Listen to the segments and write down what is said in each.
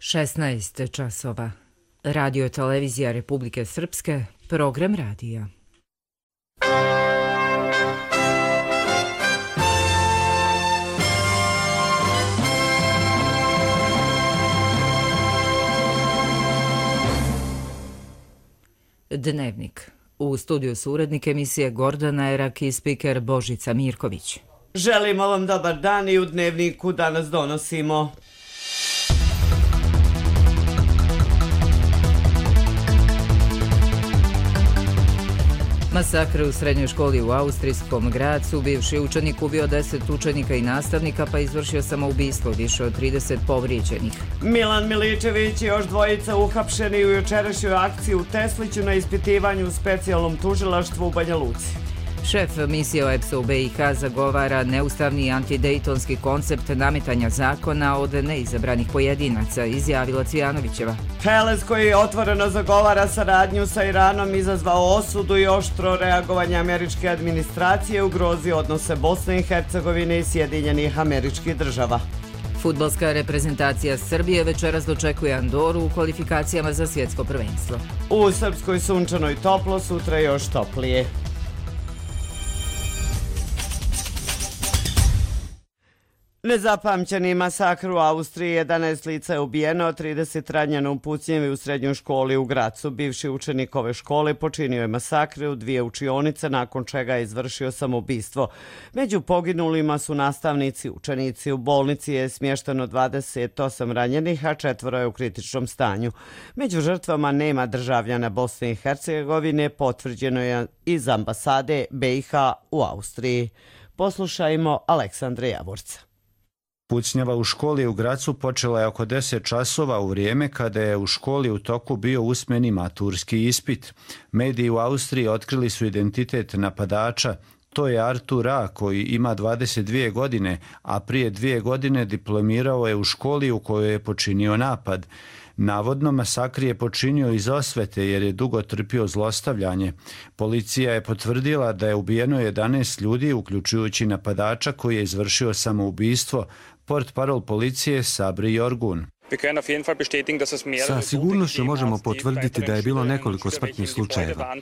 16 časova. Radio televizija Republike Srpske, program radija. Dnevnik. U studiju su urednik emisije Gordana Erak i spiker Božica Mirković. Želimo vam dobar dan i u Dnevniku danas donosimo. Masakr u srednjoj školi u austrijskom Gracu. Bivši učenik ubio 10 učenika i nastavnika pa izvršio samoubistvo, više od 30 povrijeđenih. Milan Miličević i još dvojica uhapšeni u jučerašnjoj akciji u Tesliću na ispitivanju u specijalnom tužilaštvu u Banja Luci. Šef misije OEBS-a u BiH zagovara neustavni antidejtonski koncept nametanja zakona od neizabranih pojedinaca, izjavila Cvijanovićeva. Heles, koji otvoreno zagovara saradnju sa Iranom, izazvao osudu i oštro reagovanje američke administracije, ugrozio odnose Bosne i Hercegovine i Sjedinjenih Američkih Država. Fudbalska reprezentacija Srbije večeras dočekuje Andoru u kvalifikacijama za svjetsko prvenstvo. U Srpskoj sunčano i toplo, sutra još toplije. Nezapamćeni masakr u Austriji, 11 lica je ubijeno, 30 ranjeno u pucnjevi u srednjoj školi u Gracu. Bivši učenik ove škole počinio je masakre u 2 učionice, nakon čega je izvršio samoubistvo. Među poginulima su nastavnici, učenici. U bolnici je smješteno 28 ranjenih, a 4 je u kritičnom stanju. Među žrtvama nema državljana Bosne i Hercegovine, potvrđeno je iz ambasade BiH u Austriji. Poslušajmo Aleksandra Javorca. Pucnjava u školi u Gracu počela je oko 10 časova u vrijeme kada je u školi u toku bio usmeni maturski ispit. Mediji u Austriji otkrili su identitet napadača. To je Artur A, koji ima 22 godine, a prije 2 godine diplomirao je u školi u kojoj je počinio napad. Navodno, masakr je počinio iz osvete jer je dugo trpio zlostavljanje. Policija je potvrdila da je ubijeno 11 ljudi, uključujući napadača koji je izvršio samoubistvo. Portparol policije Sabri Jorgun. Sa sigurnošću možemo potvrditi da je bilo nekoliko smrtnih slučajeva.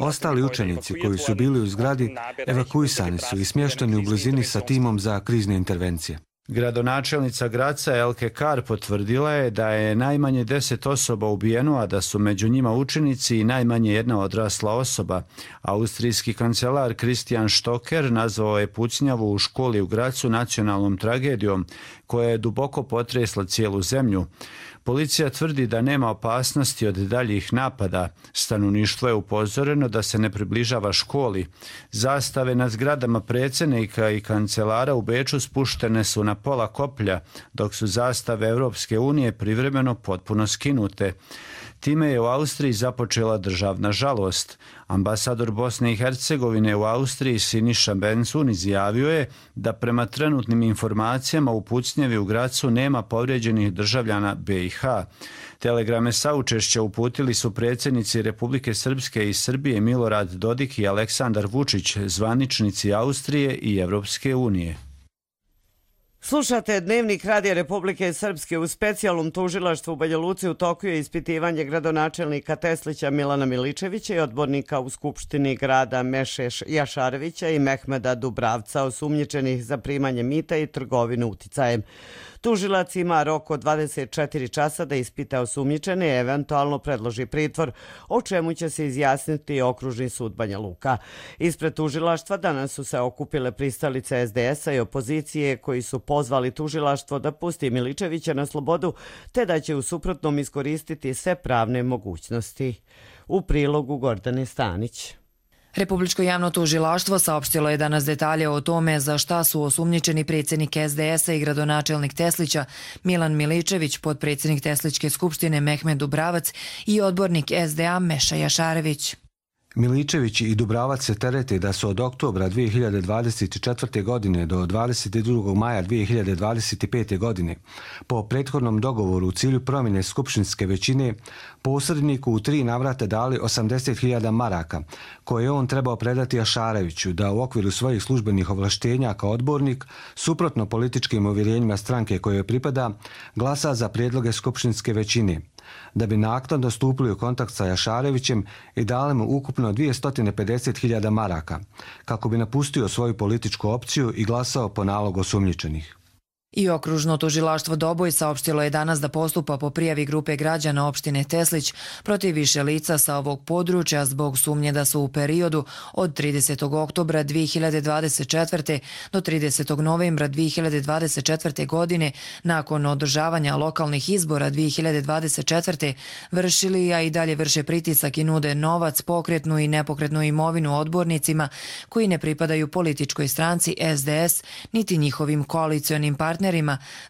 Ostali učenici koji su bili u zgradi evakuisani su i smješteni u blizini sa timom za krizne intervencije. Gradonačelnica Graca Elke Kar potvrdila je da je najmanje 10 osoba ubijeno, a da su među njima učenici i najmanje jedna odrasla osoba. Austrijski kancelar Christian Stocker nazvao je pucnjavu u školi u Gracu nacionalnom tragedijom koja je duboko potresla cijelu zemlju. Policija tvrdi da nema opasnosti od daljih napada. Stanovništvo je upozoreno da se ne približava školi. Zastave nad zgradama predsjednika i kancelara u Beču spuštene su na pola koplja, dok su zastave Europske unije privremeno potpuno skinute. Time je u Austriji započela državna žalost. Ambasador Bosne i Hercegovine u Austriji Siniša Bencun izjavio je da prema trenutnim informacijama u pucnjevi u Gracu nema povrijeđenih državljana BiH. Telegrame saučešća uputili su predsjednici Republike Srpske i Srbije Milorad Dodik i Aleksandar Vučić, zvaničnici Austrije i Europske unije. Slušate Dnevnik Radija Republike Srpske. U specijalnom tužilaštvu u Banja Luci u toku je ispitivanje gradonačelnika Teslića Milana Miličevića i odbornika u Skupštini grada Meše Jašarevića i Mehmeda Dubravca, osumnjičenih za primanje mita i trgovinu uticajem. Tužilac ima rok od 24 časa da ispita osumnjičene i eventualno predloži pritvor, o čemu će se izjasniti Okružni sud Banja Luka. Ispred tužilaštva danas su se okupile pristalice SDS-a i opozicije koji su pozvali tužilaštvo da pusti Miličevića na slobodu, te da će u suprotnom iskoristiti sve pravne mogućnosti. U prilogu Gordane Stanić. Republičko javno tužilaštvo saopštilo je danas detalje o tome za šta su osumnjičeni predsjednik SDS-a i gradonačelnik Teslića Milan Miličević, potpredsjednik Teslićke skupštine Mehmed Dubravac i odbornik SDA Meša Jašarević. Miličević i Dubravac se terete da su od oktobra 2024. godine do 22. maja 2025. godine po prethodnom dogovoru u cilju promjene skupštinske većine posredniku u 3 navrata dali 80.000 maraka koje je on trebao predati Jašareviću da u okviru svojih službenih ovlaštenja kao odbornik, suprotno političkim uvjerenjima stranke kojoj pripada, glasa za prijedloge skupštinske većine, da bi naknadno stupili u kontakt sa Jašarevićem i dali mu ukupno 250.000 maraka, kako bi napustio svoju političku opciju i glasao po nalogu osumnjičenih. I okružno tužilaštvo Doboj saopštilo je danas da postupa po prijavi grupe građana opštine Teslić protiv više lica sa ovog područja zbog sumnje da su u periodu od 30. oktobra 2024. do 30. novembra 2024. godine nakon održavanja lokalnih izbora 2024. vršili, a i dalje vrše pritisak i nude novac, pokretnu i nepokretnu imovinu odbornicima koji ne pripadaju političkoj stranci SDS niti njihovim koalicionim partnerima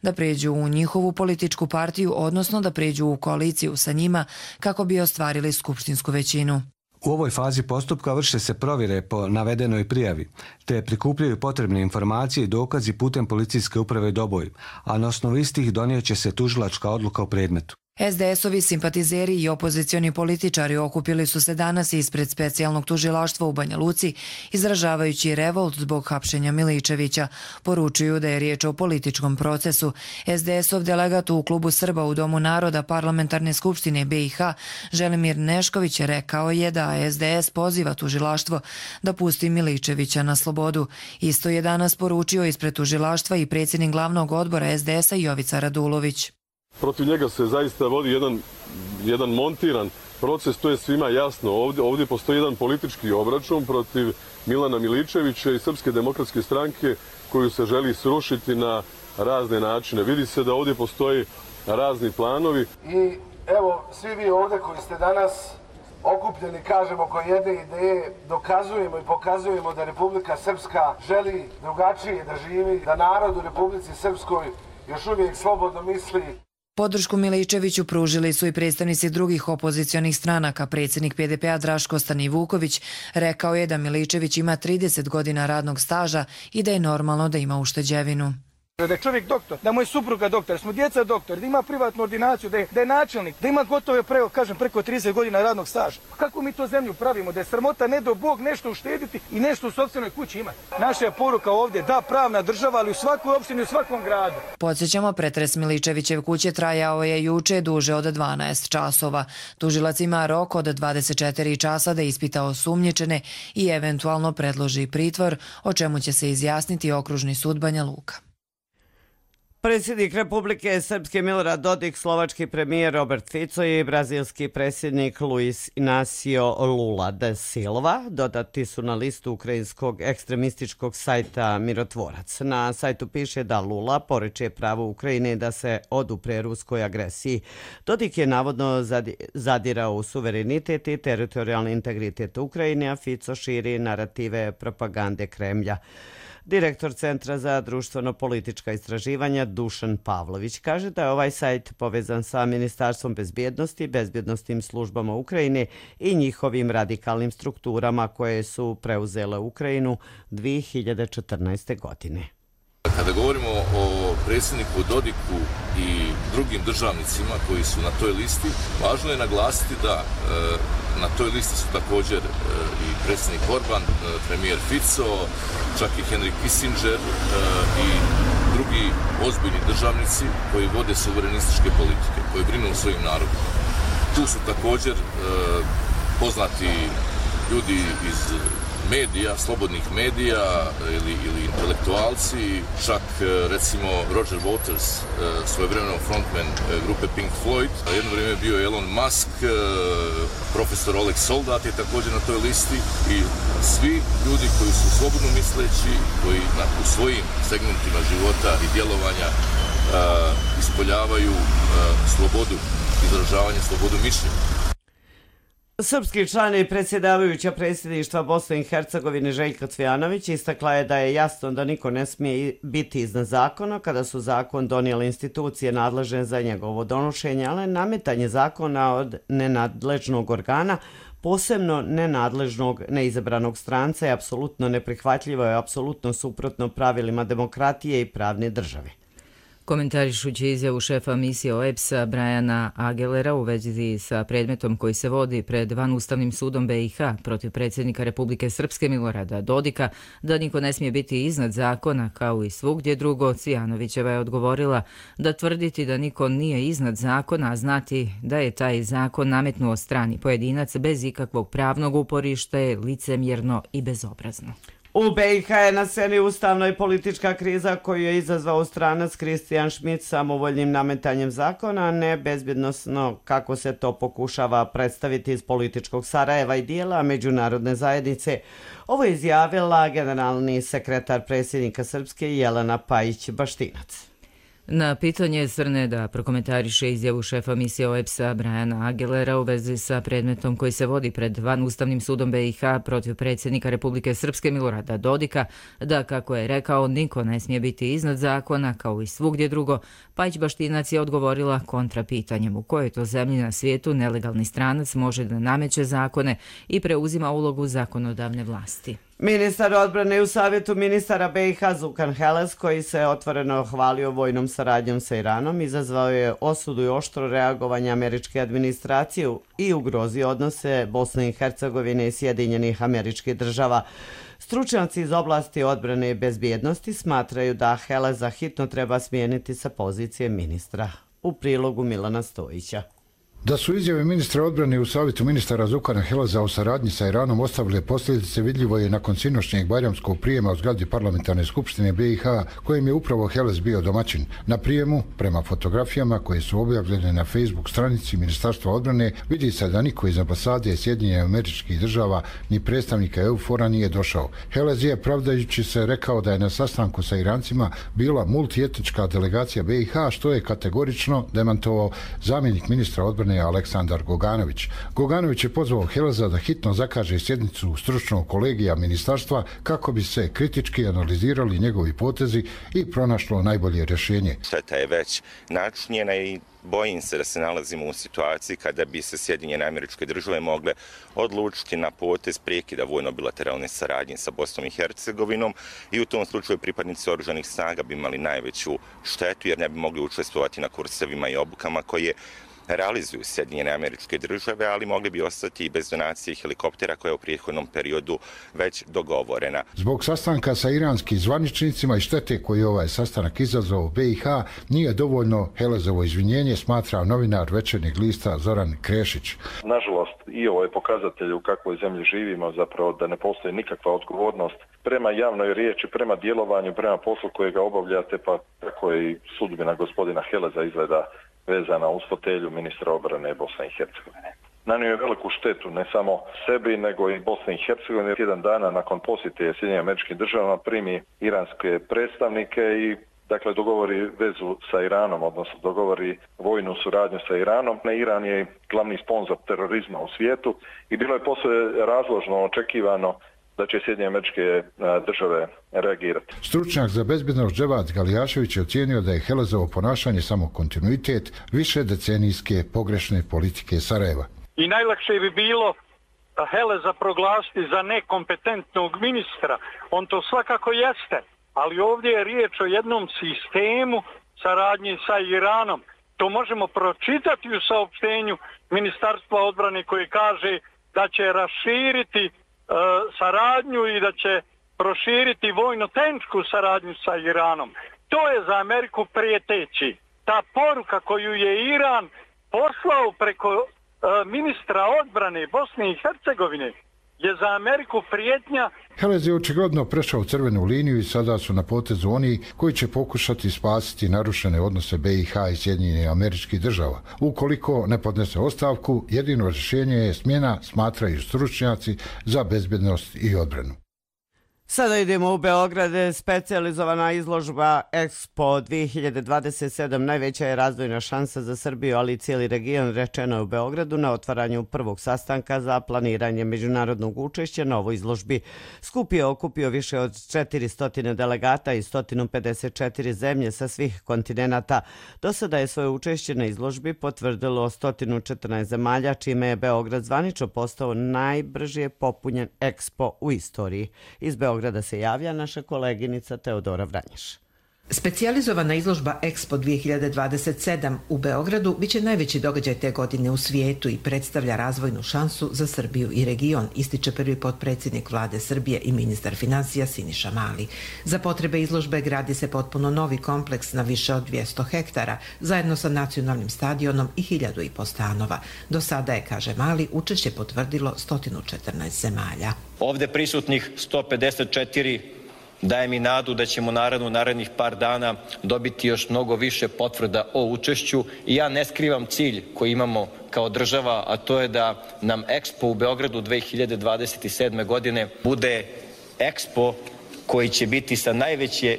da pređu u njihovu političku partiju, odnosno da pređu u koaliciju sa njima kako bi ostvarili skupštinsku većinu. U ovoj fazi postupka vrše se provjere po navedenoj prijavi, te prikupljaju potrebne informacije i dokazi putem policijske uprave Doboj, a na osnovu istih donijet će se tužilačka odluka u predmetu. SDS-ovi simpatizeri i opozicioni političari okupili su se danas ispred specijalnog tužilaštva u Banja Luci, izražavajući revolt zbog hapšenja Miličevića. Poručuju da je riječ o političkom procesu. SDS-ov delegat u Klubu Srba u Domu naroda Parlamentarne skupštine BiH, Želimir Nešković, rekao je da SDS poziva tužilaštvo da pusti Miličevića na slobodu. Isto je danas poručio ispred tužilaštva i predsjednik glavnog odbora SDS-a Jovica Radulović. Protiv njega se zaista vodi jedan montiran proces, to je svima jasno. Ovdje postoji jedan politički obračun protiv Milana Miličevića i Srpske demokratske stranke koju se želi srušiti na razne načine. Vidi se da ovdje postoji razni planovi. I evo, svi vi ovdje koji ste danas okupljeni, kažemo, oko jedne ideje, dokazujemo i pokazujemo da Republika Srpska želi drugačije da živi, da narod u Republici Srpskoj još uvijek slobodno misli. Podršku Miličeviću pružili su i predstavnici drugih opozicionih stranaka. Predsjednik PDP-a Draško Stanivuković rekao je da Miličević ima 30 godina radnog staža i da je normalno da ima ušteđevinu. Da je čovjek doktor, da mu je supruga doktor, smo djeca doktor, da ima privatnu ordinaciju, da je načelnik, da ima gotove preko 30 godina radnog staža. Kako mi to zemlju pravimo? Da je sramota ne do Bog nešto uštediti i nešto u sopstvenoj kući imati. Naša je poruka ovdje da pravna država, ali u svakoj opštini, u svakom gradu. Podsjećamo, pretres Miličevićev kuće trajao je juče duže od 12 časova. Tužilac ima rok od 24 časa da ispita osumnjičene i eventualno predloži pritvor, o čemu će se izjasniti Okružni sud Banja Luka. Predsjednik Republike Srpske Milorad Dodik, slovački premijer Robert Fico i brazilski predsjednik Luis Inacio Lula da Silva dodati su na listu ukrajinskog ekstremističkog sajta Mirotvorac. Na sajtu piše da Lula poriče pravo Ukrajine da se odupre ruskoj agresiji. Dodik je navodno zadirao u suverenitet i teritorijalni integritet Ukrajine, a Fico širi narative propagande Kremlja. Direktor Centra za društveno-politička istraživanja Dušan Pavlović kaže da je ovaj sajt povezan sa Ministarstvom bezbjednosti, bezbjednostnim službama Ukrajine i njihovim radikalnim strukturama koje su preuzele Ukrajinu 2014. godine. Kada govorimo o predsjedniku Dodiku i drugim državnicima koji su na toj listi, važno je naglasiti da na toj listi su također i predsjednik Orban, premijer Fico, čak i Henry Kissinger i drugi ozbiljni državnici koji vode suverenističke politike, koji brinu o svojim narodima. Tu su također poznati ljudi iz medija, slobodnih medija ili intelektualci, čak recimo Roger Waters, svojevremeno frontman grupe Pink Floyd, a jedno vrijeme bio je Elon Musk, profesor Oleg Soldat je također na toj listi i svi ljudi koji su slobodno misleći, koji u svojim segmentima života i djelovanja ispoljavaju slobodu izražavanja, slobodu mišljenja. Srpski član i predsjedavajuća predsjedništva Bosne i Hercegovine Željka Cvijanović istakla je da je jasno da niko ne smije biti iznad zakona kada su zakon donijele institucije nadležne za njegovo donošenje, ali nametanje zakona od nenadležnog organa, posebno nenadležnog neizabranog stranca, je apsolutno neprihvatljivo i apsolutno suprotno pravilima demokratije i pravne države. Komentarišući izjavu šefa misije OEBS-a Brajana Agelera u vezi sa predmetom koji se vodi pred Vanustavnim sudom BiH protiv predsjednika Republike Srpske Milorada Dodika da niko ne smije biti iznad zakona kao i svugdje drugo, Cvijanovićeva je odgovorila da tvrditi da niko nije iznad zakona, a znati da je taj zakon nametnuo strani pojedinac bez ikakvog pravnog uporišta je licemjerno i bezobrazno. U BiH je na sceni ustavna i politička kriza koju je izazvao stranac Kristijan Šmit samovoljnim nametanjem zakona, a ne bezbjednosno kako se to pokušava predstaviti iz političkog Sarajeva i dijela međunarodne zajednice. Ovo je izjavila generalni sekretar predsjednika Srpske Jelena Pajić-Baštinac. Na pitanje Crne da prokomentariše izjavu šefa misije OEBS-a Brajana Agelera u vezi sa predmetom koji se vodi pred Vanustavnim sudom BiH protiv predsjednika Republike Srpske Milorada Dodika, da, kako je rekao, niko ne smije biti iznad zakona kao i svugdje drugo, Pajić-Baštinac je odgovorila kontra pitanjem u kojoj to zemlji na svijetu nelegalni stranac može da nameće zakone i preuzima ulogu zakonodavne vlasti. Ministar odbrane u Savjetu ministara BiH Zukan Heles, koji se otvoreno hvalio vojnom saradnjom sa Iranom, izazvao je osudu i oštro reagovanje američke administracije i ugrozio odnose Bosne i Hercegovine i Sjedinjenih Američkih Država. Stručnjaci iz oblasti odbrane i bezbjednosti smatraju da Heleza hitno treba smijeniti sa pozicije ministra. U prilogu Milana Stojića. Da su izjave ministra odbrane u Savjetu ministara Zukana Heleza o saradnji sa Iranom ostavile posljedice vidljivo je nakon sinoćnjeg bajramskog prijema u zgradi Parlamentarne skupštine BiH, kojem je upravo Helez bio domaćin. Na prijemu, prema fotografijama koje su objavljene na Facebook stranici Ministarstva odbrane, vidi se da niko iz ambasade Sjedinjenih Američkih Država ni predstavnika EUFOR-a nije došao. Helez je, pravdajući se, rekao da je na sastanku sa Irancima bila multietnička delegacija BiH, što je kategorično demantovao zamjenik ministra odbrane Aleksandar Goganović. Goganović je pozvao Heleza da hitno zakaže sjednicu stručnog kolegija ministarstva kako bi se kritički analizirali njegovi potezi i pronašlo najbolje rješenje. Šteta je već načinjena i bojim se da se nalazimo u situaciji kada bi se Sjedinjene Američke Države mogle odlučiti na potez prekida vojno-bilateralne saradnje sa Bosnom i Hercegovinom i u tom slučaju pripadnici oružanih snaga bi imali najveću štetu jer ne bi mogli učestvovati na kursevima i obukama koje realizuju Sjedinjene Američke Države, ali mogli bi ostati i bez donacije helikoptera koja je u prethodnom periodu već dogovorena. Zbog sastanka sa iranskim zvaničnicima i štete koje ovaj sastanak izazvao u BiH nije dovoljno Helezovo izvinjenje, smatra novinar Večernjeg lista Zoran Krešić. Nažalost, i ovo je pokazatelj u kakvoj zemlji živimo, zapravo da ne postoji nikakva odgovornost prema javnoj riječi, prema djelovanju, prema poslu kojega obavljate, pa tako je i sudbina gospodina Heleza izgleda vezana uz fotelju ministra obrane Bosne i Hercegovine. Nanio je veliku štetu ne samo sebi, nego i Bosne i Hercegovine. Jedan dana nakon posjete Sjedinjenim Američkim Državama primi iranske predstavnike i dakle dogovori vezu sa Iranom, odnosno dogovori vojnu suradnju sa Iranom. Iran je glavni sponzor terorizma u svijetu i bilo je posve razložno očekivano da će Sjedinjene Američke Države reagirati. Stručnjak za bezbjednost Dževad Galijašević je ocijenio da je Helezovo ponašanje samo kontinuitet više decenijske pogrešne politike Sarajeva. I najlakše bi bilo Heleza proglasiti za nekompetentnog ministra. On to svakako jeste, ali ovdje je riječ o jednom sistemu saradnje sa Iranom. To možemo pročitati u saopštenju Ministarstva odbrane koje kaže da će raširiti saradnju i da će proširiti vojno-tehničku saradnju sa Iranom. To je za Ameriku prijeteći. Ta poruka koju je Iran poslao preko ministra odbrane Bosne i Hercegovine je za Ameriku prijetnja. Helez je očigledno prešao crvenu liniju i sada su na potezu oni koji će pokušati spasiti narušene odnose BiH i Sjedinjenih Američkih Država. Ukoliko ne podnese ostavku, jedino rješenje je smjena, smatraju stručnjaci za bezbjednost i odbranu. Sada idemo u Beograd. Specijalizovana izložba Expo 2027 najveća je razvojna šansa za Srbiju, ali i cijeli region, rečeno je u Beogradu na otvaranju prvog sastanka za planiranje međunarodnog učešća na ovoj izložbi. Skup je okupio više od 400 delegata i 154 zemlje sa svih kontinenata. Do sada je svoje učešće na izložbi potvrdilo 114 zemalja, čime je Beograd zvanično postao najbrže popunjen Expo u istoriji. Iz Beograda se javlja naša koleginica Teodora Vranješ. Specijalizovana izložba Expo 2027 u Beogradu biće najveći događaj te godine u svijetu i predstavlja razvojnu šansu za Srbiju i region, ističe prvi potpredsjednik vlade Srbije i ministar financija Siniša Mali. Za potrebe izložbe gradi se potpuno novi kompleks na više od 200 hektara, zajedno sa nacionalnim stadionom i 1500 stanova. Do sada je, kaže Mali, učešće potvrdilo 114 zemalja. Ovde prisutnih 154 daje mi nadu da ćemo narednih par dana dobiti još mnogo više potvrda o učešću i ja ne skrivam cilj koji imamo kao država, a to je da nam Expo u Beogradu 2027. godine bude Expo koji će biti sa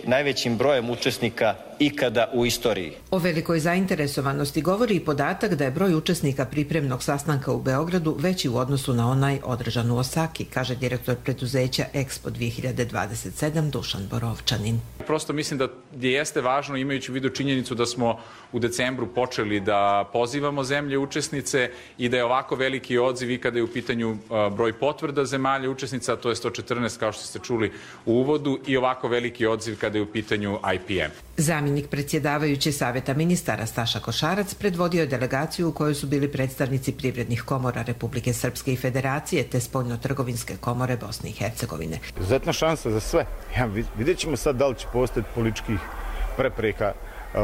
najvećim brojem učesnika ikada u istoriji. O velikoj zainteresovanosti govori i podatak da je broj učesnika pripremnog sastanka u Beogradu veći u odnosu na onaj održan u Osaki, kaže direktor preduzeća Expo 2027 Dušan Borovčanin. Prosto mislim da jeste važno, imajući u vidu činjenicu da smo u decembru počeli da pozivamo zemlje učesnice i da je ovako veliki odziv i kada je u pitanju broj potvrda zemalja učesnica, to je 114 kao što ste čuli u uvodu, i ovako veliki odziv kada je u pitanju IPM. Zamjenik predsjedavajuće Saveta ministara Staša Košarac predvodio je delegaciju u kojoj su bili predstavnici privrednih komora Republike Srpske i Federacije te spoljno-trgovinske komore Bosne i Hercegovine. Izuzetna šansa za sve. Vidjet ćemo sad da li će postati političkih prepreka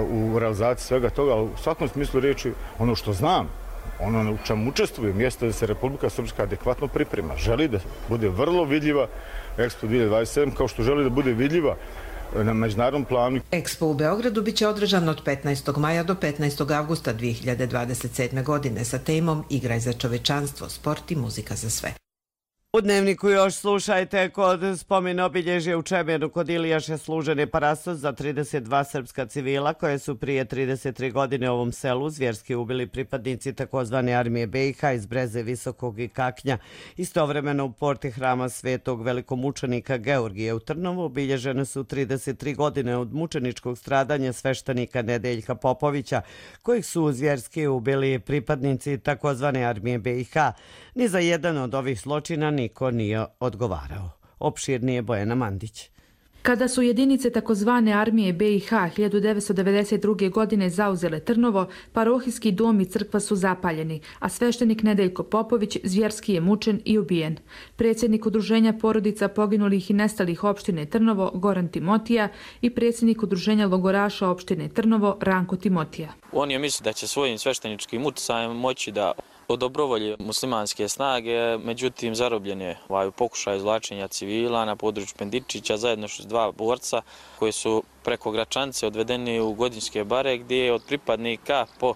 u realizaciji svega toga, ali u svakom smislu riječi ono što znam, ono u čemu učestvujem, jeste da se Republika Srpska adekvatno priprema. Želi da bude vrlo vidljiva Expo 2027 kao što želi da bude vidljiva na međunarodnom planu. Expo u Beogradu biće održan od 15. maja do 15. avgusta 2027. godine sa temom Igraj za čovečanstvo, sport i muzika za sve. U Dnevniku još slušajte, kod spomen obilježja u Čemernu kod Ilijaše služen je parastos za 32 srpska civila koje su prije 33 godine u ovom selu zvjerski ubili pripadnici takozvane armije BiH iz Breze, Visokog i Kaknja. Istovremeno u porti hrama svetog velikomučenika Georgije u Trnovu obilježene su 33 godine od mučeničkog stradanja sveštenika Nedeljka Popovića, kojih su zvjerski ubili pripadnici takozvane armije BiH. Ni za jedan od ovih zločina niko nije odgovarao. Opširnije Bojana Mandić. Kada su jedinice takozvane armije BiH 1992. godine zauzele Trnovo, parohijski dom i crkva su zapaljeni, a sveštenik Nedeljko Popović zvjerski je mučen i ubijen. Predsjednik udruženja porodica poginulih i nestalih opštine Trnovo Goran Timotija i predsjednik udruženja logoraša opštine Trnovo Ranko Timotija. On je mislio da će svojim svešteničkim utjecajem moći da od dobrovolje muslimanske snage, međutim zarobljen je pokušaj izvlačenja civila na području Pendičića zajedno s dva borca koji su preko Gračanice odvedeni u Godinjske bare gdje je od pripadnika po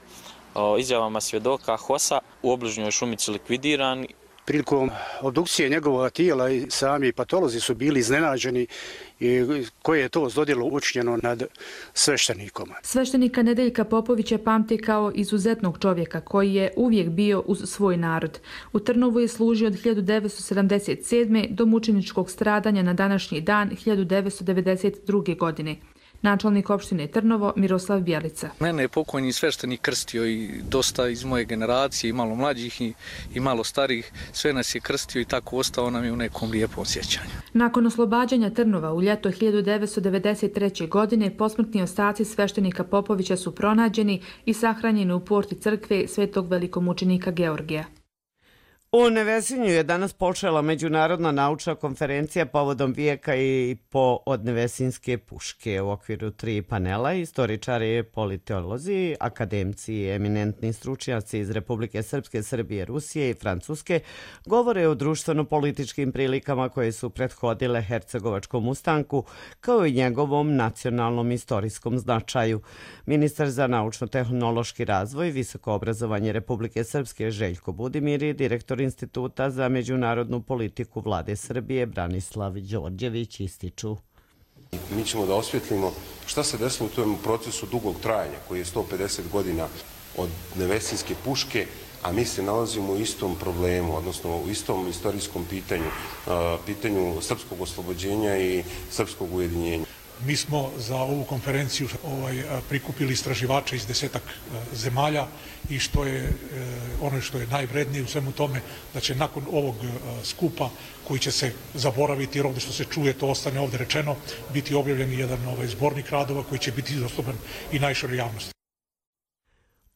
izjavama svjedoka HOS-a u obližnjoj šumici likvidiran. Prilikom obdukcije njegovog tijela i sami patolozi su bili iznenađeni koje je to zlodjelo učinjeno nad sveštenikom. Sveštenika Nedeljka Popovića pamti kao izuzetnog čovjeka koji je uvijek bio uz svoj narod. U Trnovu je služio od 1977. do mučeničkog stradanja na današnji dan 1992. godine. Načelnik opštine Trnovo Miroslav Bjelica. Mene je pokojni sveštenik krstio i dosta iz moje generacije, i malo mlađih i malo starih. Sve nas je krstio i tako ostao nam je u nekom lijepom sjećanju. Nakon oslobađanja Trnova u ljeto 1993. godine posmrtni ostaci sveštenika Popovića su pronađeni i sahranjeni u porti crkve Svetog velikomučenika Georgija. U Nevesinju je danas počela međunarodna naučna konferencija povodom vijeka i po od nevesinske puške. U okviru 3 panela istoričari, politolozi, akademci i eminentni stručnjaci iz Republike Srpske, Srbije, Rusije i Francuske govore o društveno-političkim prilikama koje su prethodile Hercegovačkom ustanku, kao i njegovom nacionalnom istorijskom značaju. Ministar za naučno-tehnološki razvoj, visoko obrazovanje Republike Srpske Željko Budimir i direktor direktor Instituta za međunarodnu politiku Vlade Srbije Branislav Đorđević ističu. Mi ćemo da osvjetlimo šta se desilo u tom procesu dugog trajanja koji je 150 godina od Nevesinjske puške, a mi se nalazimo u istom problemu, odnosno u istom istorijskom pitanju srpskog oslobođenja i srpskog ujedinjenja. Mi smo za ovu konferenciju prikupili istraživače iz 10 zemalja i što je najvrednije u svemu tome, da će nakon ovog skupa koji će se zaboraviti, jer ovdje što se čuje to ostane ovdje rečeno, biti objavljen jedan zbornik radova koji će biti dostupan i najširoj javnosti.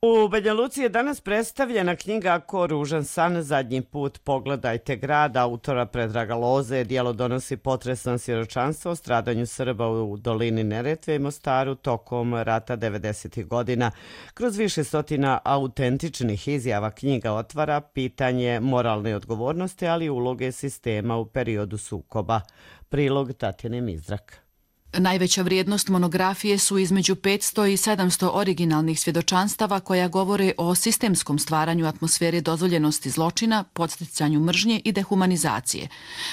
U Banja Luci je danas predstavljena knjiga Ko ružan san, zadnji put pogledajte grad, autora Predraga Loze. Dijelo donosi potresno svjedočanstvo o stradanju Srba u dolini Neretve i Mostaru tokom rata 90. godina. Kroz više stotina autentičnih izjava knjiga otvara pitanje moralne odgovornosti, ali i uloge sistema u periodu sukoba. Prilog Tatjane Mizrak. Najveća vrijednost monografije su između 500 i 700 originalnih svjedočanstava koja govore o sistemskom stvaranju atmosfere dozvoljenosti zločina, podsticanju mržnje i dehumanizacije.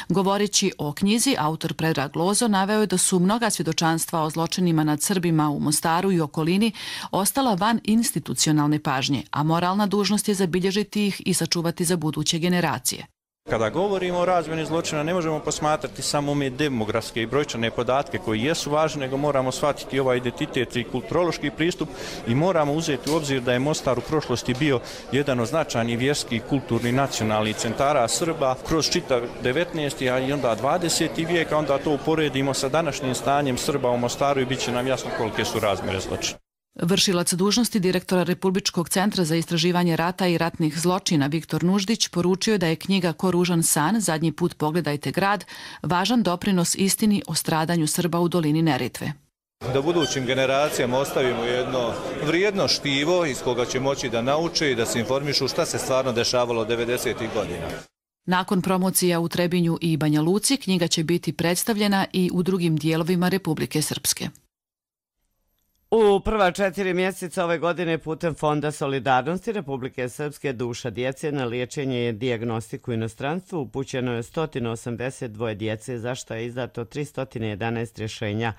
Govoreći o knjizi, autor Predrag Lozo naveo je da su mnoga svjedočanstva o zločinima nad Srbima u Mostaru i okolini ostala van institucionalne pažnje, a moralna dužnost je zabilježiti ih i sačuvati za buduće generacije. Kada govorimo o razmjeni zločina ne možemo posmatrati samo ove demografske i brojčane podatke koji jesu važni, nego moramo shvatiti ovaj identitet i kulturološki pristup i moramo uzeti u obzir da je Mostar u prošlosti bio jedan od značajnih vjerskih, kulturnih, nacionalnih centara Srba kroz čitav 19. a i onda 20. vijek, a onda to uporedimo sa današnjim stanjem Srba u Mostaru i bit će nam jasno kolike su razmjere zločina. Vršilac dužnosti direktora Republičkog centra za istraživanje rata i ratnih zločina Viktor Nuždić poručio da je knjiga Ko ružan san, zadnji put pogledajte grad, važan doprinos istini o stradanju Srba u dolini Neretve. Da budućim generacijama ostavimo jedno vrijedno štivo iz koga će moći da nauče i da se informišu šta se stvarno dešavalo 90. godina. Nakon promocija u Trebinju i Banja Luci, knjiga će biti predstavljena i u drugim dijelovima Republike Srpske. U prva 4 mjeseca ove godine putem Fonda solidarnosti Republike Srpske duša djece na liječenje i dijagnostiku u inostranstvu upućeno je 182 djece, za što je izdato 311 rješenja.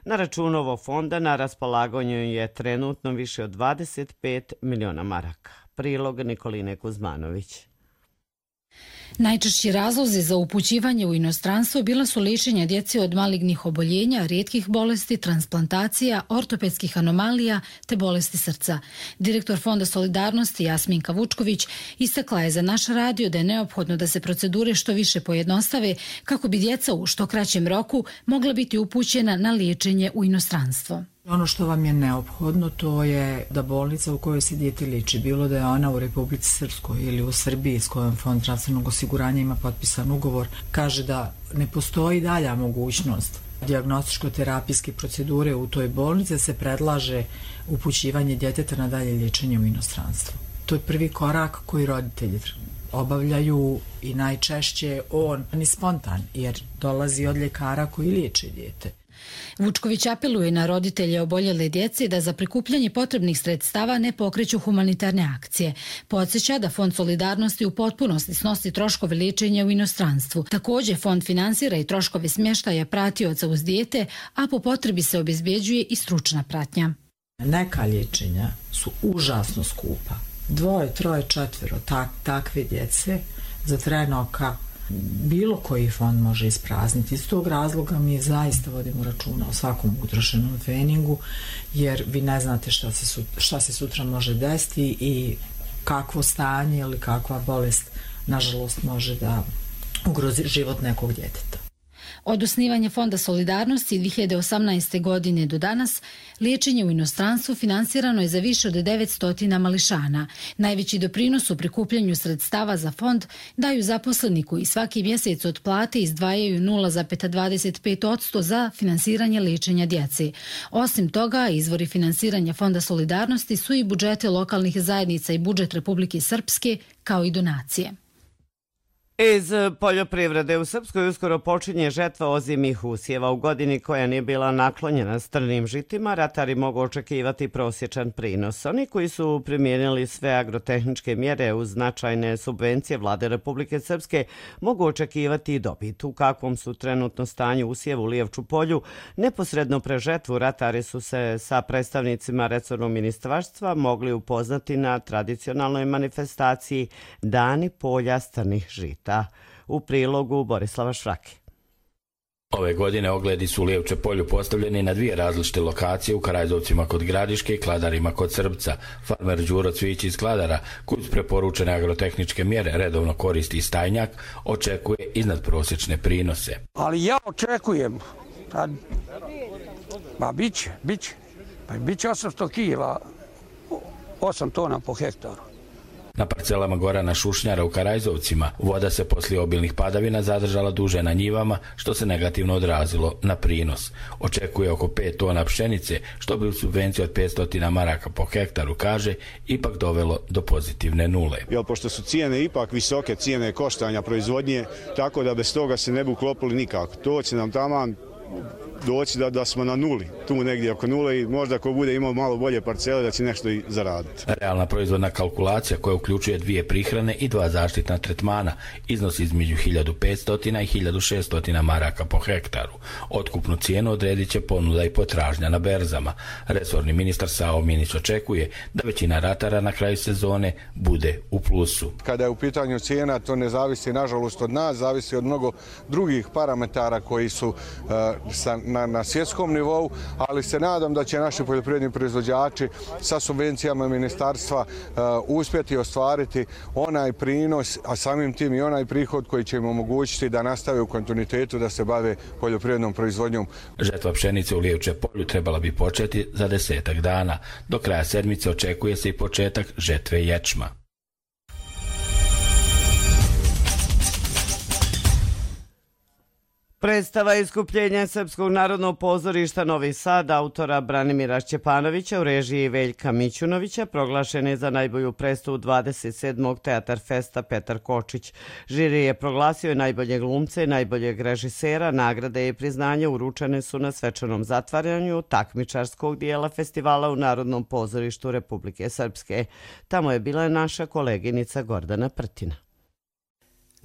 Na računu ovog fonda na raspolaganju je trenutno više od 25 miliona maraka. Prilog Nikoline Kuzmanović. Najčešći razlozi za upućivanje u inostranstvo bila su liječenja djece od malignih oboljenja, rijetkih bolesti, transplantacija, ortopedskih anomalija te bolesti srca. Direktor Fonda solidarnosti Jasminka Vučković istakla je za naš radio da je neophodno da se procedure što više pojednostave kako bi djeca u što kraćem roku mogla biti upućena na liječenje u inostranstvo. Ono što vam je neophodno to je da bolnica u kojoj se dijete liječi, bilo da je ona u Republici Srpskoj ili u Srbiji s kojom Fond zdravstvenog osiguranja ima potpisan ugovor, kaže da ne postoji dalja mogućnost dijagnostičko-terapijske procedure u toj bolnici, se predlaže upućivanje djeteta na dalje liječenje u inostranstvo. To je prvi korak koji roditelji obavljaju i najčešće on je spontan jer dolazi od ljekara koji liječe dijete. Vučković apeluje na roditelje oboljele djece da za prikupljanje potrebnih sredstava ne pokreću humanitarne akcije. Podsjeća da Fond solidarnosti u potpunosti snosi troškove liječenja u inostranstvu. Također Fond finansira i troškove smještaja pratioca uz dijete, a po potrebi se obezbjeđuje i stručna pratnja. Neka liječenja su užasno skupa. 2, 3, 4 takve djece za trenoka bilo koji fond može isprazniti. Iz tog razloga mi zaista vodimo računa o svakom utrošenom treningu, jer vi ne znate šta se sutra može desiti i kakvo stanje ili kakva bolest nažalost može da ugrozi život nekog djeteta. Od osnivanja Fonda solidarnosti 2018. godine do danas, liječenje u inostranstvu finansirano je za više od 900 mališana. Najveći doprinos u prikupljanju sredstava za fond daju zaposleni koji svaki mjesec od plate izdvajaju 0,25% za finansiranje liječenja djece. Osim toga, izvori finansiranja Fonda solidarnosti su i budžete lokalnih zajednica i budžet Republike Srpske, kao i donacije. Iz poljoprivrede u Srpskoj uskoro počinje žetva ozimih usjeva. U godini koja nije bila naklonjena strnim žitima, ratari mogu očekivati prosječan prinos. Oni koji su primijenili sve agrotehničke mjere uz značajne subvencije Vlade Republike Srpske mogu očekivati i dobit. U kakvom su trenutno stanju usjeva u Lijevču polju, neposredno pre žetvu ratari su se sa predstavnicima resornog ministarstva mogli upoznati na tradicionalnoj manifestaciji Dani polja strnih žita. U prilogu Borislava Šrake. Ove godine ogledi su u Lijevče polju postavljeni na dvije različite lokacije, u Karajzovcima kod Gradiške i Kladarima kod Srbca. Farmer Đuro Cvić iz Kladara, koji uz preporučene agrotehničke mjere redovno koristi stajnjak, očekuje iznadprosječne prinose. Ali ja očekujem, biće 800 kila, 8 tona po hektaru. Na parcelama Gorana Šušnjara u Karajzovcima voda se poslije obilnih padavina zadržala duže na njivama, što se negativno odrazilo na prinos. Očekuje oko 5 tona pšenice, što bi u subvenciju od 500 maraka po hektaru, kaže, ipak dovelo do pozitivne nule. Pošto su cijene ipak visoke, cijene koštanja proizvodnje, tako da bez toga se ne bi uklopili nikako. To će nam taman doći da smo na nuli, tu negdje oko nule, i možda ko bude imao malo bolje parcele da će nešto i zaraditi. Realna proizvodna kalkulacija, koja uključuje 2 prihrane i 2 zaštitna tretmana, iznosi između 1500 i 1600 maraka po hektaru. Otkupnu cijenu odredit će ponuda i potražnja na berzama. Resorni ministar Savo Minić očekuje da većina ratara na kraju sezone bude u plusu. Kada je u pitanju cijena, to ne zavisi nažalost od nas, zavisi od mnogo drugih parametara koji su na svjetskom nivou, ali se nadam da će naši poljoprivredni proizvođači sa subvencijama ministarstva uspjeti ostvariti onaj prinos, a samim tim i onaj prihod koji će im omogućiti da nastave u kontinuitetu da se bave poljoprivrednom proizvodnjom. Žetva pšenice u Lijevče polju trebala bi početi za 10 dana. Do kraja sedmice očekuje se i početak žetve ječma. Predstava iskupljenja Srpskog narodnog pozorišta Novi Sad autora Branimira Šćepanovića u režiji Veljka Mićunovića proglašen je za najbolju predstavu 27. Teatar Festa Petar Kočić. Žiri je proglasio i najboljeg glumca i najboljeg režisera. Nagrade i priznanje uručene su na svečanom zatvaranju takmičarskog dijela festivala u Narodnom pozorištu Republike Srpske. Tamo je bila naša koleginica Gordana Prtina.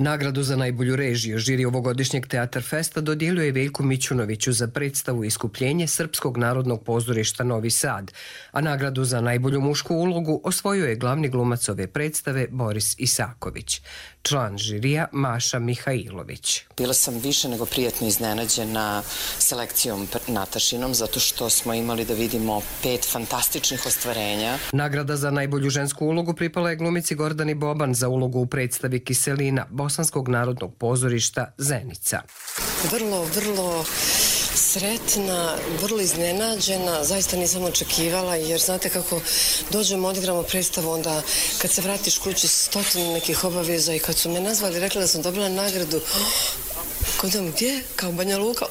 Nagradu za najbolju režiju žiri ovogodišnjeg Teatar Festa dodijelio je Veljku Mićunoviću za predstavu Iskupljenje Srpskog narodnog pozorišta Novi Sad, a nagradu za najbolju mušku ulogu osvojio je glavni glumac ove predstave Boris Isaković. Član žirija Maša Mihajlović. Bila sam više nego prijatno iznenađena selekcijom Natašinom, zato što smo imali da vidimo 5 fantastičnih ostvarenja. Nagrada za najbolju žensku ulogu pripala je glumici Gordani Boban za ulogu u predstavi Kiselina Bosanskog narodnog pozorišta Zenica. Vrlo sretna, vrlo iznenađena, zaista nisam očekivala, jer znate kako dođemo, odigramo predstavu, onda kad se vratiš kući 100 nekih obaveza, i kad su me nazvali, rekla da sam dobila nagradu, gdje? Kao Banja Luka?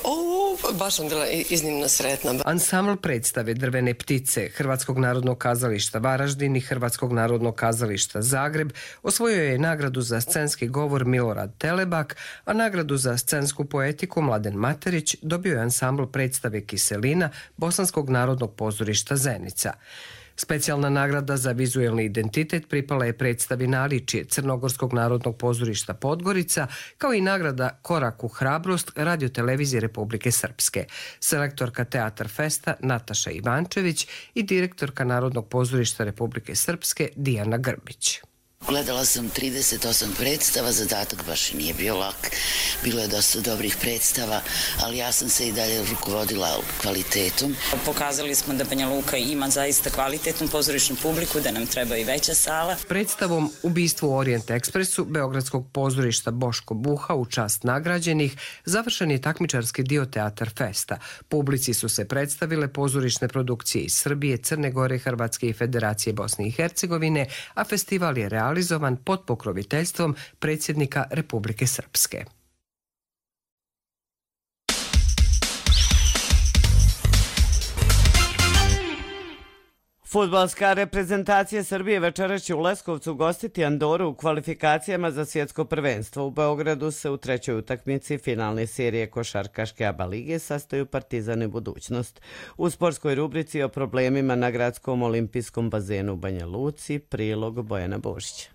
Baš sam bila iznimno sretna. Ansambl predstave Drvene ptice Hrvatskog narodnog kazališta Varaždin i Hrvatskog narodnog kazališta Zagreb osvojio je nagradu za scenski govor Milorad Telebak, a nagradu za scensku poetiku Mladen Materić dobio je ansambl predstave Kiselina Bosanskog narodnog pozorišta Zenica. Specijalna nagrada za vizuelni identitet pripala je predstavi Naličje Crnogorskog narodnog pozorišta Podgorica, kao i nagrada Korak u hrabrost Radio-televizije Republike Srpske. Selektorka Teatar Festa Nataša Ivančević i direktorka Narodnog pozorišta Republike Srpske Dijana Grbić. Gledala sam 38 predstava, zadatak baš i nije bio lak, bilo je dosta dobrih predstava, ali ja sam se i dalje rukovodila kvalitetom. Pokazali smo da Banja Luka ima zaista kvalitetnu pozorišnu publiku, da nam treba i veća sala. Predstavom Ubistvo u Orient Ekspresu Beogradskog pozorišta Boško Buha u čast nagrađenih završen je takmičarski dio Teatar Festa. Publici su se predstavile pozorišne produkcije iz Srbije, Crne Gore, Hrvatske i Federacije Bosne i Hercegovine, a festival je realizovan pod pokroviteljstvom predsjednika Republike Srpske. Fudbalska reprezentacija Srbije večeras će u Leskovcu gostiti Andoru u kvalifikacijama za svjetsko prvenstvo. U Beogradu se u trećoj utakmici finalne serije košarkaške ABA lige sastaju Partizan i Budućnost. U sportskoj rubrici o problemima na gradskom olimpijskom bazenu u Banja Luci, prilog Bojana Božića.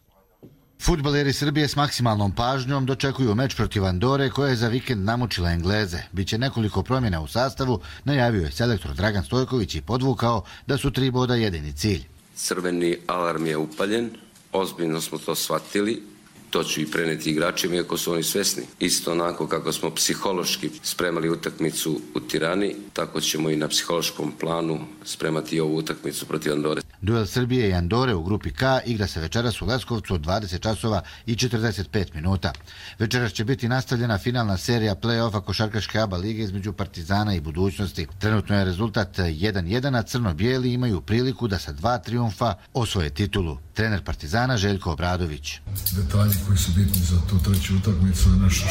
Fudbaleri Srbije s maksimalnom pažnjom dočekuju meč protiv Andore koja je za vikend namučila Engleze. Biće nekoliko promjena u sastavu, najavio je selektor Dragan Stojković i podvukao da su 3 boda jedini cilj. Crveni alarm je upaljen, ozbiljno smo to shvatili, to ću i preneti igračima iako su oni svesni. Isto onako kako smo psihološki spremali utakmicu u Tirani, tako ćemo i na psihološkom planu spremati ovu utakmicu protiv Andore. Duel Srbije i Andore u grupi K igra se večeras u Leskovcu od 20 časova i 45 minuta. Večeras će biti nastavljena finalna serija play-offa košarkaške ABA lige između Partizana i Budućnosti. Trenutno je rezultat 1-1, a crno-bijeli imaju priliku da sa 2 trijumfa osvoje titulu. Trener Partizana Željko Obradović. Detalji koji su bitni za tu treću utakmicu je nešto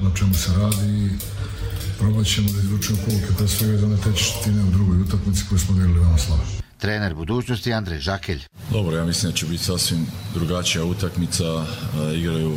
na čemu se radi i probat ćemo da izvučemo pouke pre svega za one tečetine u drugoj utakmici koju smo odigrali veoma slabo. Trener Budućnosti Andrej Žakelj. Dobro, ja mislim da će biti sasvim drugačija utakmica. Igraju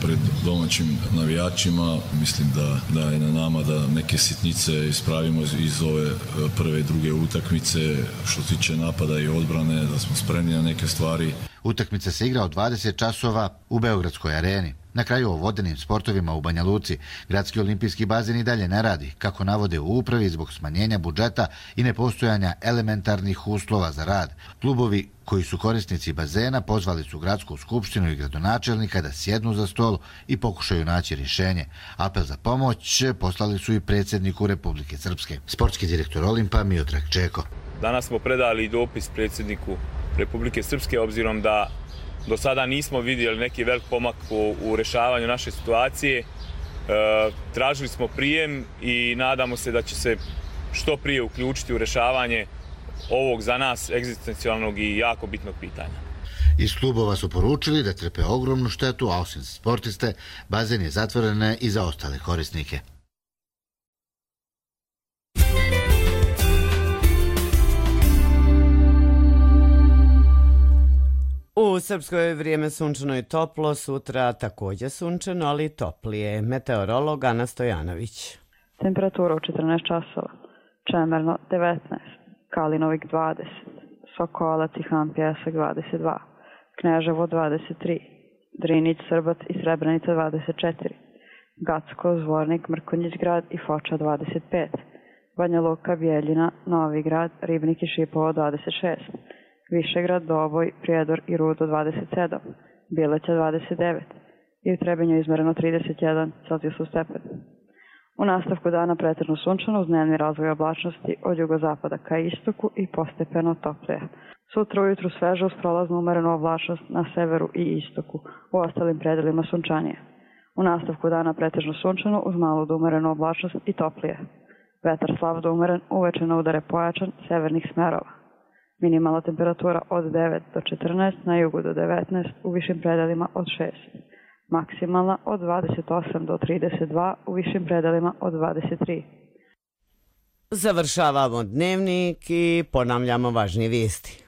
pred domaćim navijačima. Mislim da je na nama da neke sitnice ispravimo iz ove prve i druge utakmice. Što se tiče napada i odbrane, da smo spremni na neke stvari. Utakmica se igra od 20 časova u Beogradskoj areni. Na kraju o vodenim sportovima u Banja Luci, gradski olimpijski bazen i dalje ne radi, kako navode u upravi zbog smanjenja budžeta i nepostojanja elementarnih uslova za rad. Klubovi koji su korisnici bazena pozvali su gradsku skupštinu i gradonačelnika da sjednu za stol i pokušaju naći rješenje. Apel za pomoć poslali su i predsjedniku Republike Srpske. Sportski direktor Olimpa Miodrag Čeko. Danas smo predali dopis predsjedniku Republike Srpske obzirom da do sada nismo vidjeli neki velik pomak u rješavanju naše situacije. Tražili smo prijem i nadamo se da će se što prije uključiti u rješavanje ovog za nas egzistencijalnog i jako bitnog pitanja. Iz klubova su poručili da trpe ogromnu štetu, a osim sportiste, bazen je zatvoren i za ostale korisnike. U Srpskoj vrijeme sunčano i toplo, sutra također sunčano, ali toplije. Meteorolog Ana Stojanović. Temperatura u 14 časova. Čemerno 19, Kalinovik 20, Sokolac i Han Pjesak 22, Kneževo 23, Drinić, Srbac i Srebrenica 24, Gacko, Zvornik, Mrkonjić grad i Foča 25, Banja Luka, Bijeljina, Novi grad, Ribnik i Šipovo 26, Višegrad, Doboj, Prijedor i Rudo 27, Bileća 29 i u Trebinju izmereno 31 Celzijusov stepen. U nastavku dana pretežno sunčano uz dnevni razvoj oblačnosti od jugozapada ka istoku i postepeno toplije. Sutra ujutru sveže uz prolaznu umerenu oblačnost na severu i istoku, u ostalim predelima sunčanije. U nastavku dana pretežno sunčano uz malu do umerenu oblačnost i toplije. Vetar slab do umeren, uveče na udare pojačan severnih smerova. Minimalna temperatura od 9 do 14, na jugu do 19, u višim predelima od 6. Maksimalna od 28 do 32, u višim predelima od 23. Završavamo dnevnik i ponavljamo važnije vijesti.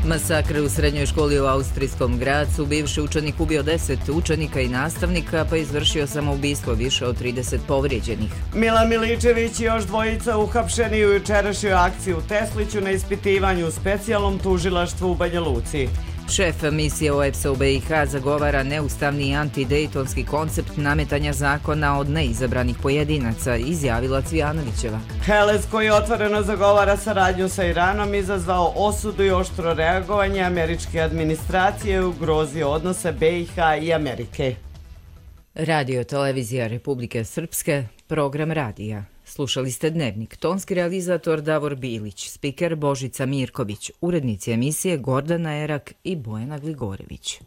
Masakr u srednjoj školi u austrijskom Gracu. Bivši učenik ubio 10 učenika i nastavnika, pa izvršio samoubistvo, više od 30 povrijeđenih. Milan Miličević i još dvojica uhapšeni u jučerašnjoj akciji u Tesliću na ispitivanju u specijalnom tužilaštvu u Banja Luci. Šef misije OEBS-a u BiH zagovara neustavni i antidejtonski koncept nametanja zakona od neizabranih pojedinaca, izjavila Cvijanovićeva. Helez, koji otvoreno zagovara saradnju sa Iranom, izazvao osudu i oštro reagovanje američke administracije i ugrozio odnose BiH i Amerike. Radio Televizija Republike Srpske, program radija. Slušali ste Dnevnik, tonski realizator Davor Bilić, spiker Božica Mirković, urednici emisije Gordana Erak i Bojana Gligorević.